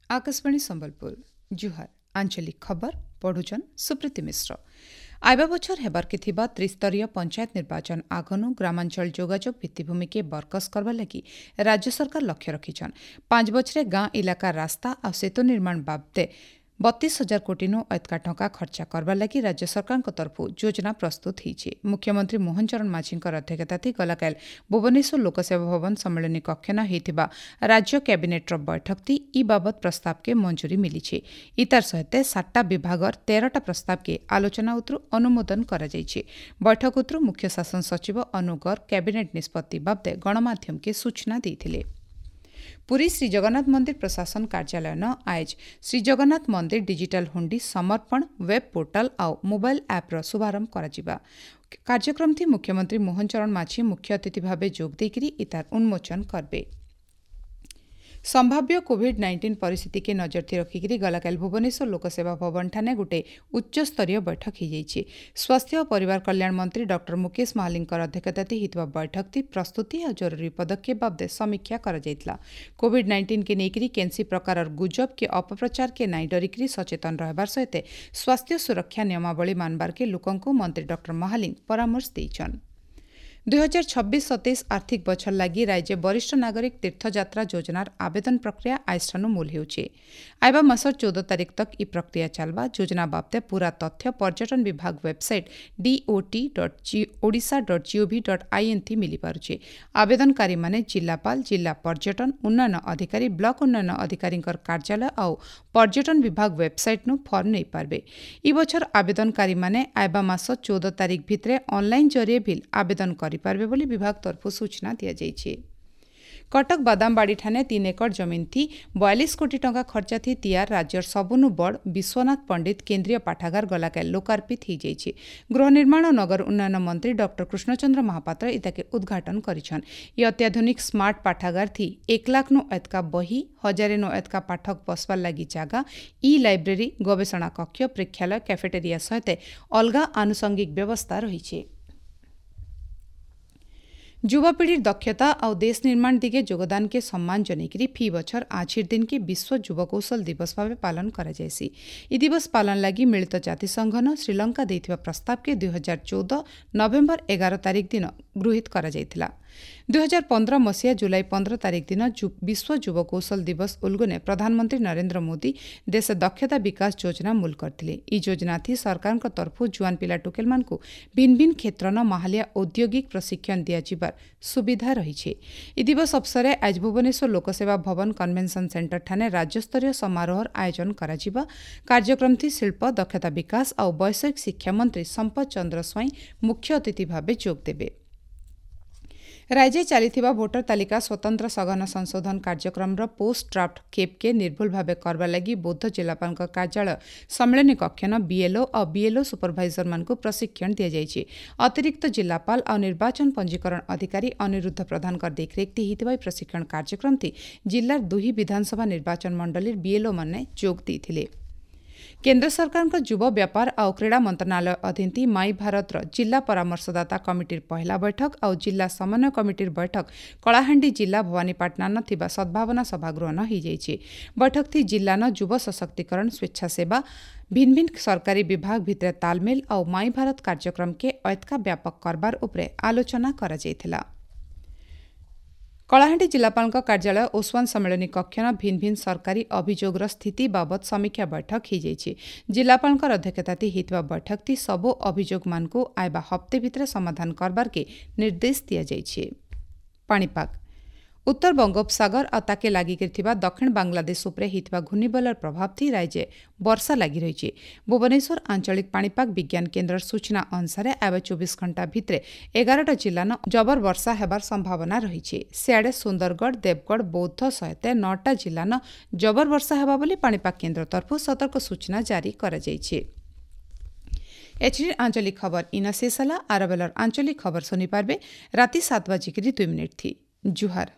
ଆକାଶବାଣୀ ସମ୍ବଲପୁର, ଜୁହାର। ଆଞ୍ଚଳିକ ଖବର ପଢୁଛନ୍ ସୁପ୍ରୀତି ମିଶ୍ର। ଆଇବା ବଛର ହେବାର୍କେ ଥିବା ତ୍ରିସ୍ତରୀୟ ପଞ୍ଚାୟତ ନିର୍ବାଚନ ଆଗନୁ ଗ୍ରାମାଞ୍ଚଳ ଯୋଗାଯୋଗ ଭିତ୍ତିଭୂମିକେ ବରକସ କରବା ଲାଗି ରାଜ୍ୟ ସରକାର ଲକ୍ଷ୍ୟ ରଖିଛନ୍। 5 ବଛରେ ଗାଁ ଇଲାକା ରାସ୍ତା ଆଉ ସେତୁ ନିର୍ମାଣ ବାବଦେ 32,000 କୋଟିନୁ ଏତକା ଟଙ୍କା ଖର୍ଚ୍ଚା କରବା ଲାଗି ରାଜ୍ୟ ସରକାରଙ୍କ ତରଫରୁ ଯୋଜନା ପ୍ରସ୍ତୁତ ହେଇଛି। ମୁଖ୍ୟମନ୍ତ୍ରୀ ମୋହନ ଚରଣ ମାଝୀଙ୍କର ଅଧ୍ୟକ୍ଷତାଥି ଗଲାକାଲି ଭୁବନେଶ୍ୱର ଲୋକସେବା ଭବନ ସମ୍ମିଳନୀ କକ୍ଷନ ହେଇଥିବା ରାଜ୍ୟ କ୍ୟାବିନେଟ୍ର ବୈଠକଥି ଇ ବାବଦ ପ୍ରସ୍ତାବକେ ମଞ୍ଜୁରୀ ମିଳିଛି। ଇତାର ସହିତ 7ଟା ବିଭାଗର 13ଟା ପ୍ରସ୍ତାବକେ ଆଲୋଚନା ଉତରୁ ଅନୁମୋଦନ କରାଯାଇଛି। ବୈଠକ ଉତରୁ ମୁଖ୍ୟ ଶାସନ ସଚିବ ଅନୁ ଗର୍ଗ କ୍ୟାବିନେଟ୍ ନିଷ୍ପତ୍ତି ବାବଦେ ଗଣମାଧ୍ୟମକେ ସୂଚନା ଦେଇଥିଲେ। ପୁରୀ ଶ୍ରୀଜଗନ୍ନାଥ ମନ୍ଦିର ପ୍ରଶାସନ କାର୍ଯ୍ୟାଳୟନ ଆଏଜ ଶ୍ରୀଜଗନ୍ନାଥ ମନ୍ଦିର ଡିଜିଟାଲ ହୁଣ୍ଡି ସମର୍ପଣ ୱେବ୍ ପୋର୍ଟାଲ ଆଉ ମୋବାଇଲ ଆପ୍ର ଶୁଭାରମ୍ଭ କରାଯିବା। କାର୍ଯ୍ୟକ୍ରମଥି ମୁଖ୍ୟମନ୍ତ୍ରୀ ମୋହନ ଚରଣ ମାଝୀ ମୁଖ୍ୟ ଅତିଥି ଭାବେ ଯୋଗ ଦେଇକରି ଇତାର ଉନ୍ମୋଚନ କରବେ। ସମ୍ଭାବ୍ୟ କୋଭିଡ୍-19 ପରିସ୍ଥିତିକେ ନଜରଥି ରଖିକିରି ଗଲାକାଲି ଭୁବନେଶ୍ୱର ଲୋକସେବା ଭବନଠାନେ ଗୋଟେ ଉଚ୍ଚସ୍ତରୀୟ ବୈଠକ ହେଇଯାଇଛି। ସ୍ୱାସ୍ଥ୍ୟ ଓ ପରିବାର କଲ୍ୟାଣ ମନ୍ତ୍ରୀ ଡକ୍ଟର ମୁକେଶ ମହାଲିଙ୍କର ଅଧ୍ୟକ୍ଷତାଥି ହେଇଥିବା ବୈଠକଥି ପ୍ରସ୍ତୁତି ଆଉ ଜରୁରୀ ପଦକ୍ଷେପ ବାବଦେ ସମୀକ୍ଷା କରାଯାଇଥିଲା। କୋଭିଡ୍-19କେ ନେଇକରି କେନ୍ସି ପ୍ରକାରର ଗୁଜବ କି ଅପପ୍ରଚାରକେ ନାଇଁ ଡରିକିରି ସଚେତନ ରହିବାର ସହିତ ସ୍ୱାସ୍ଥ୍ୟ ସୁରକ୍ଷା ନିୟମାବଳୀ ମାନବାରକେ ଲୋକଙ୍କୁ ମନ୍ତ୍ରୀ ଡକ୍ଟର ମହାଲିଙ୍ଗ ପରାମର୍ଶ ଦେଇଛନ୍। 2026-27 ଆର୍ଥିକ ବଛର ଲାଗି ରାଜ୍ୟ ବରିଷ୍ଠ ନାଗରିକ ତୀର୍ଥଯାତ୍ରା ଯୋଜନାର ଆବେଦନ ପ୍ରକ୍ରିୟା ଆଇଷ୍ଠାନୁ ମୂଲ ହେଉଛି। ଆଇବା ମାସର 14 ତାରିଖ ତକ ଇ ପ୍ରକ୍ରିୟା ଚାଲବା। ଯୋଜନା ବାବଦେ ପୂରା ତଥ୍ୟ ପର୍ଯ୍ୟଟନ ବିଭାଗ ୱେବସାଇଟ୍ dot.odisha.gov.in ଥି ମିଳିପାରୁଛି। ଆବେଦନକାରୀମାନେ ଜିଲ୍ଲାପାଳ, ଜିଲ୍ଲା ପର୍ଯ୍ୟଟନ ଉନ୍ନୟନ ଅଧିକାରୀ, ବ୍ଲକ ଉନ୍ନୟନ ଅଧିକାରୀଙ୍କର କାର୍ଯ୍ୟାଳୟ ଆଉ ପର୍ଯ୍ୟଟନ ବିଭାଗ ୱେବସାଇଟ୍ନୁ ଫର୍ମ ନେଇପାରିବେ। ଇ ବଛର ଆବେଦନକାରୀମାନେ ଆଇବା ମାସ 14 ତାରିଖ ଭିତରେ ଅନଲାଇନ୍ ଜରିଏ ଭିଲ୍ ଆବେଦନ କରିପାରିବେ ବୋଲି ବିଭାଗ ତରଫରୁ ସୂଚନା ଦିଆଯାଇଛି। କଟକ ବାଦାମବାଡ଼ିଠାନେ 3 ଏକର ଜମିନ୍ ଥି 42 କୋଟି ଟଙ୍କା ଖର୍ଚ୍ଚା ଥି ତିଆର ରାଜ୍ୟର ସବୁନୁ ବଡ଼ ବିଶ୍ୱନାଥ ପଣ୍ଡିତ କେନ୍ଦ୍ରୀୟ ପାଠାଗାର ଗଲାକାଲି ଲୋକାର୍ପିତ ହେଇଯାଇଛି। ଗୃହ ନିର୍ମାଣ ଓ ନଗର ଉନ୍ନୟନ ମନ୍ତ୍ରୀ ଡକ୍ଟର କୃଷ୍ଣଚନ୍ଦ୍ର ମହାପାତ୍ର ଇତାକେ ଉଦ୍ଘାଟନ କରିଛନ୍। ଇ ଅତ୍ୟାଧୁନିକ ସ୍ମାର୍ଟ ପାଠାଗାର ଥି 1 ଲାଖନୁ ଏତକା ବହି, 1000ନୁ ଏତକା ପାଠକ ବସବାର ଲାଗି ଜାଗା, ଇ ଲାଇବ୍ରେରୀ, ଗବେଷଣା କକ୍ଷ, ପ୍ରେକ୍ଷାଳୟ, କ୍ୟାଫେଟେରିଆ ସହିତ ଅଲଗା ଆନୁଷଙ୍ଗିକ ବ୍ୟବସ୍ଥା ରହିଛି। ଯୁବପିଢ଼ିର ଦକ୍ଷତା ଆଉ ଦେଶ ନିର୍ମାଣ ଦିଗେ ଯୋଗଦାନକେ ସମ୍ମାନ ଜନେଇକରି ଫି ବଛର ଆଜିର ଦିନକେ ବିଶ୍ୱ ଯୁବ କୌଶଳ ଦିବସ ଭାବେ ପାଳନ କରାଯାଏସି। ଇ ଦିବସ ପାଳନ ଲାଗି ମିଳିତ ଜାତିସଂଘନ ଶ୍ରୀଲଙ୍କା ଦେଇଥିବା ପ୍ରସ୍ତାବକେ 2014 ନଭେମ୍ବର 11 ତାରିଖ ଦିନ ଗୃହୀତ କରାଯାଇଥିଲା। 2015 ମସିହା ଜୁଲାଇ 15 ତାରିଖ ଦିନ ବିଶ୍ୱ ଯୁବ କୌଶଳ ଦିବସ ଉଲଗୁନେ ପ୍ରଧାନମନ୍ତ୍ରୀ ନରେନ୍ଦ୍ର ମୋଦି ଦେଶ ଦକ୍ଷତା ବିକାଶ ଯୋଜନା ମୂଲ କରିଥିଲେ। ଇ ଯୋଜନା ଥି ସରକାରଙ୍କ ତରଫରୁ ଜୁଆନ ପିଲା ଟୁକେଲମାନଙ୍କୁ ଭିନ୍ନ ଭିନ୍ନ କ୍ଷେତ୍ରନ ମାହାଲିଆ ଔଦ୍ୟୋଗିକ ପ୍ରଶିକ୍ଷଣ ଦିଆଯିବାର ସୁବିଧା ରହିଛି। ଇ ଦିବସ ଅବସରରେ ଆଜ ଭୁବନେଶ୍ୱର ଲୋକସେବା ଭବନ କନଭେନସନ ସେଣ୍ଟର ଠାନେ ରାଜ୍ୟସ୍ତରୀୟ ସମାରୋହର ଆୟୋଜନ କରାଯିବା। କାର୍ଯ୍ୟକ୍ରମଥି ଶିଳ୍ପ, ଦକ୍ଷତା ବିକାଶ ଆଉ ବୈଷୟିକ ଶିକ୍ଷା ମନ୍ତ୍ରୀ ସମ୍ପଦ ଚନ୍ଦ୍ର ସ୍ୱାଇଁ ମୁଖ୍ୟ ଅତିଥି ଭାବେ ଯୋଗ ଦେବେ। ରାଜ୍ୟ ଚାଲିଥିବା ଭୋଟର ତାଲିକା ସ୍ୱତନ୍ତ୍ର ସଘନ ସଂଶୋଧନ କାର୍ଯ୍ୟକ୍ରମର ପୋଷ୍ଟ ଡ୍ରାଫ୍ଟ କେପ୍କେ ନିର୍ଭୁଲ ଭାବେ କରବା ଲାଗି ବୌଦ୍ଧ ଜିଲ୍ଲାପାଳଙ୍କ କାର୍ଯ୍ୟାଳୟ ସମ୍ମିଳନୀ କକ୍ଷନ ବିଏଲ୍ଓ ଆଉ ବିଏଲ୍ଓ ସୁପରଭାଇଜରମାନଙ୍କୁ ପ୍ରଶିକ୍ଷଣ ଦିଆଯାଇଛି। ଅତିରିକ୍ତ ଜିଲ୍ଲାପାଳ ଆଉ ନିର୍ବାଚନ ପଞ୍ଜୀକରଣ ଅଧିକାରୀ ଅନିରୁଦ୍ଧ ପ୍ରଧାନଙ୍କ ଦେଖରେଖ ହେଇଥିବା ଏହି ପ୍ରଶିକ୍ଷଣ କାର୍ଯ୍ୟକ୍ରମଟି ଜିଲ୍ଲାର 2 ବିଧାନସଭା ନିର୍ବାଚନ ମଣ୍ଡଳୀର ବିଏଲ୍ଓ ମାନେ ଯୋଗ ଦେଇଥିଲେ। କେନ୍ଦ୍ର ସରକାରଙ୍କ ଯୁବ ବ୍ୟାପାର ଆଉ କ୍ରୀଡ଼ା ମନ୍ତ୍ରଣାଳୟ ଅଧୀନ ମାଇ ଭାରତର ଜିଲ୍ଲା ପରାମର୍ଶଦାତା କମିଟିର ପହିଲା ବୈଠକ ଆଉ ଜିଲ୍ଲା ସମନ୍ୱୟ କମିଟିର ବୈଠକ କଳାହାଣ୍ଡି ଜିଲ୍ଲା ଭବାନୀପାଟଣାନ ଥିବା ସଦ୍ଭାବନା ସଭାଗୃହନ ହେଇଯାଇଛି। ବୈଠକଥି ଜିଲ୍ଲାନ ଯୁବ ସଶକ୍ତିକରଣ, ସ୍ୱେଚ୍ଛାସେବା, ଭିନ୍ନ ଭିନ୍ନ ସରକାରୀ ବିଭାଗ ଭିତରେ ତାଲମେଲ ଆଉ ମାଇ ଭାରତ କାର୍ଯ୍ୟକ୍ରମକେ ଏତକା ବ୍ୟାପକ କରବାର ଉପରେ ଆଲୋଚନା କରାଯାଇଥିଲା। କଳାହାଣ୍ଡି ଜିଲ୍ଲାପାଳଙ୍କ କାର୍ଯ୍ୟାଳୟ ଓସ୍ୱାନ ସମ୍ମିଳନୀ କକ୍ଷନ ଭିନ୍ନ ଭିନ୍ନ ସରକାରୀ ଅଭିଯୋଗର ସ୍ଥିତି ବାବଦ ସମୀକ୍ଷା ବୈଠକ ହେଇଯାଇଛି। ଜିଲ୍ଲାପାଳଙ୍କର ଅଧ୍ୟକ୍ଷତାଥି ହେଇଥିବା ବୈଠକଥି ସବୁ ଅଭିଯୋଗମାନଙ୍କୁ ଆଇବା ହପ୍ତେ ଭିତରେ ସମାଧାନ କରବାରକେ ନିର୍ଦ୍ଦେଶ ଦିଆଯାଇଛି। ପାଣିପାଗ, ଉତ୍ତର ବଙ୍ଗୋପସାଗର ଆଉ ତାକେ ଲାଗିକରି ଥିବା ଦକ୍ଷିଣ ବାଂଲାଦେଶ ଉପରେ ହେଇଥିବା ଘୂର୍ଣ୍ଣିବଳର ପ୍ରଭାବ ଥି ରାଜ୍ୟ ବର୍ଷା ଲାଗି ରହିଛି। ଭୁବନେଶ୍ୱର ଆଞ୍ଚଳିକ ପାଣିପାଗ ବିଜ୍ଞାନ କେନ୍ଦ୍ରର ସୂଚନା ଅନୁସାରେ ଆଇବା 24 ଘଣ୍ଟା ଭିତରେ 11ଟା ଜିଲ୍ଲାନ ଜବର ବର୍ଷା ହେବାର ସମ୍ଭାବନା ରହିଛି। ସିଆଡ଼େ ସୁନ୍ଦରଗଡ଼, ଦେବଗଡ଼, ବୌଦ୍ଧ ସହିତ 9ଟା ଜିଲ୍ଲାନ ଜବର ବର୍ଷା ହେବା ବୋଲି ପାଣିପାଗ କେନ୍ଦ୍ର ତରଫରୁ ସତର୍କ ସୂଚନା ଜାରି କରାଯାଇଛି। ଏଚଡି ଆଞ୍ଚଳିକ ଖବର ଇନ ଶେଷ ହେଲା। ଆର ବେଲର ଆଞ୍ଚଳିକ ଖବର ଶୁଣିପାରିବେ ରାତି 7:02 ଥି। ଜୁହାର।